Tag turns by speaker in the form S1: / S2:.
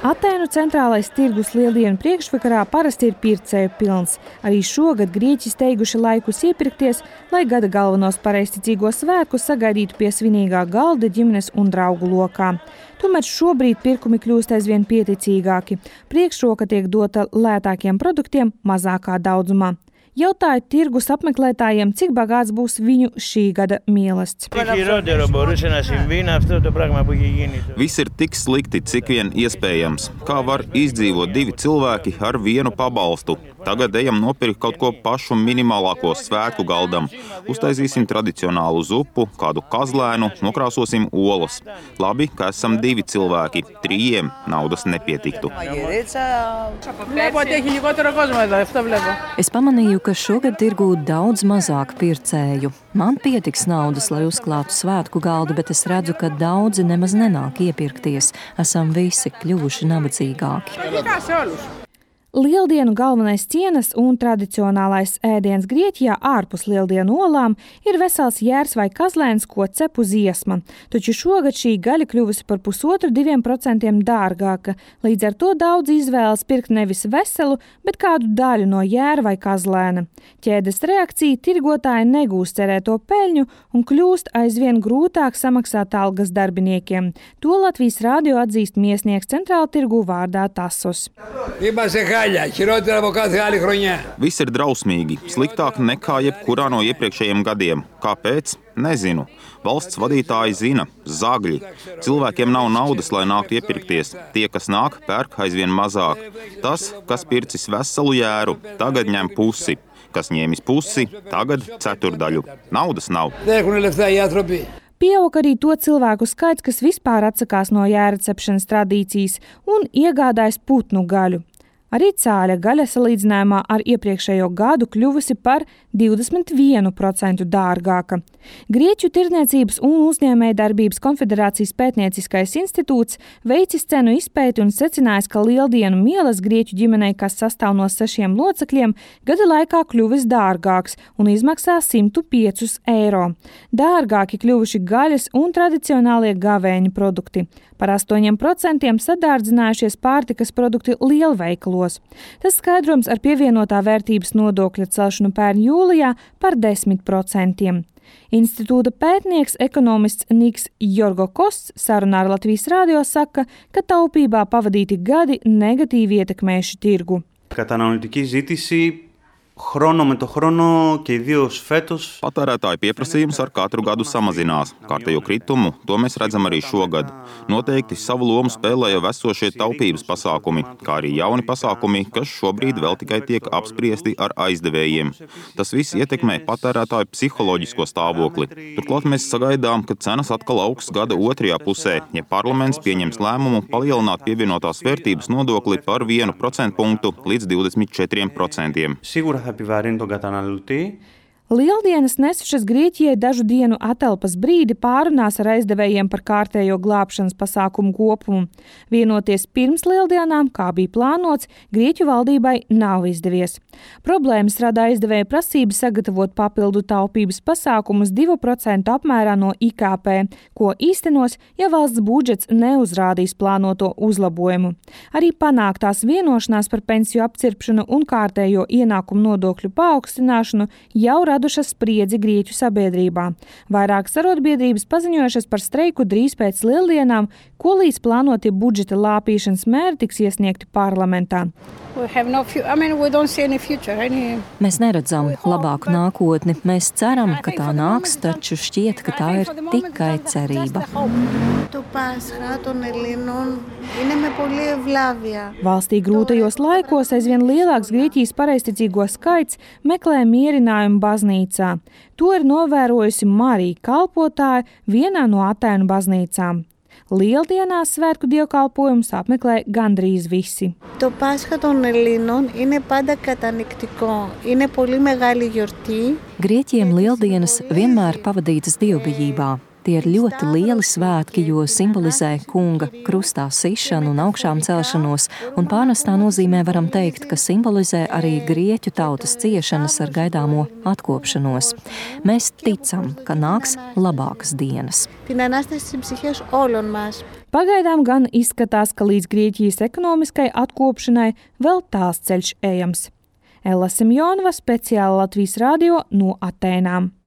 S1: Atēnu centrālais tirgus lieldienu priekšvakarā parasti ir pircēju pilns. Arī šogad grieķi steiguši laikus iepirkties, lai gada galvenos pareizticīgos svētkus sagaidītu pie svinīgā galda ģimenes un draugu lokā. Tomēr šobrīd pirkumi kļūst aizvien pieticīgāki. Priekšroka tiek dota lētākiem produktiem mazākā daudzumā. Jautāju tirgus apmeklētājiem, cik bagāts būs viņu šī gada mielasts.
S2: Viss ir tik slikti, cik vien iespējams. Kā var izdzīvot 2 cilvēki ar vienu pabalstu? Tagad ejam nopirkt kaut ko pašu minimālāko svētku galdam. Uztaisīsim tradicionālu zupu, kādu kazlēnu, nokrāsosim olas. Labi, ka esam 2 cilvēki. 3 naudas nepietiktu.
S3: Es pamanīju, ka šogad tirgū daudz mazāk pircēju. Man pietiks naudas, lai uzklātu svētku galdu, bet es redzu, ka daudzi nemaz nenāk iepirkties. Esam visi kļuvuši nabadzīgāki.
S1: Lieldienu galvenais cienas un tradicionālais ēdiens Grieķijā ārpus lieldienu olām ir vesels jērs vai kazlēns, ko cep uz iesma. Taču šogad šī gaļa kļuvusi par 1,5–2% dārgāka. Līdz ar to daudz izvēlas pirkt nevis veselu, bet kādu daļu no jēra vai kazlēna. Ķēdes reakcija tirgotāji negūst cerēto peļņu un kļūst aizvien grūtāk samaksāt algas darbiniekiem. To Latvijas radio atzīst miesnieks centrāla tirgu vārdā Tasos.
S2: Viss ir drausmīgi, sliktāk nekā jebkurā no iepriekšējiem gadiem. Kāpēc? Nezinu. Valsts vadītāji zina, zagļi. Cilvēkiem nav naudas, lai nāktu iepirkties. Tie, kas nāk, pērk aizvien mazāk. Tas, kas pircis veselu jēru, tagad ņem pusi. Kas ņēmis pusi, tagad ceturdaļu. Naudas nav.
S1: Pieaug arī to cilvēku skaits, kas vispār atsakās no jēra cepšanas tradīcijas un iegādājas putnu gaļu. Arī cāļa gaļa salīdzinājumā ar iepriekšējo gadu kļuvusi par 21% dārgāka. Grieķu tirdzniecības un uzņēmējdarbības konfederācijas pētnieciskais institūts veicis cenu izpēti un secinājis, ka lieldienu mielas grieķu ģimenei, kas sastāv no 6 locekļiem, gada laikā kļuvis dārgāks un izmaksā 105 eiro. Dārgāki kļuvuši gaļas un tradicionālie gavēņu produkti. Par 8% sadārdzinājušies pārtikas produkti lielveikalos. Tas skaidrojums ar pievienotā vērtības nodokļa celšanu pērn jūlijā par 10%. Institūta pētnieks ekonomists Niks Jorgokosts sarunā ar Latvijas radio saka, ka taupībā pavadīti gadi negatīvi ietekmējuši tirgu.
S2: Patērētāju pieprasījums ar katru gadu samazinās. Kārtējo kritumu, to mēs redzam arī šogad. Noteikti savu lomu spēlē jau esošie taupības pasākumi, kā arī jauni pasākumi, kas šobrīd vēl tikai tiek apspriesti ar aizdevējiem. Tas viss ietekmē patērētāju psiholoģisko stāvokli. Turklāt mēs sagaidām, ka cenas atkal augs gada otrajā pusē, ja parlaments pieņems lēmumu palielināt pievienotās vērtības nodokli par 1% punktu līdz 24%.
S1: Lieldienas nesušas Grieķijai dažu dienu atelpas brīdi pārunās ar aizdevējiem par kārtējo glābšanas pasākumu kopumu. Vienoties pirms lieldienām, kā bija plānots, Grieķu valdībai nav izdevies. Problēmas rada aizdevēja prasība sagatavot papildu taupības pasākumus 2% apmērā no IKP, ko īstenos, ja valsts budžets neuzrādīs plānoto uzlabojumu. Arī panāktās vienošanās par pensiju apcirpšanu un kārtējo ienākumu nodokļu paaugstināšanu jau radušas spriedzi Grieķu sabiedrībā. Vairākas arotbiedrības paziņojušas par streiku drīz pēc lieldienām, ko līdz plānotie budžeta lāpīšanas mēri tiks iesniegti parlamentā.
S3: Mēs neredzam labāku nākotni. Mēs ceram, ka tā nāks, taču šķiet, ka tā ir tikai cerība.
S1: Valstī grūtajos laikos aizvien lielāks Grieķijas pareizticīgo skaits meklē mierinājumu baznīcā. To ir novērojusi Marija kalpotāja vienā no Atēnu baznīcām. Lieldienās svētku dievkalpojumus apmeklē gandrīz visi.
S3: Grieķiem lieldienas vienmēr pavadītas dievbijībā. Tie ir ļoti lieli svētki, jo simbolizē kunga krustā sišanu un augšām celšanos, un pārnestā nozīmē varam teikt, ka simbolizē arī grieķu tautas ciešanas ar gaidāmo atkopšanos. Mēs ticam, ka nāks labākas dienas.
S1: Pagaidām gan izskatās, ka līdz Grieķijas ekonomiskai atkopšanai vēl tāls ceļš ejams. Ella Simjonova, speciāli Latvijas radio no Atēnām.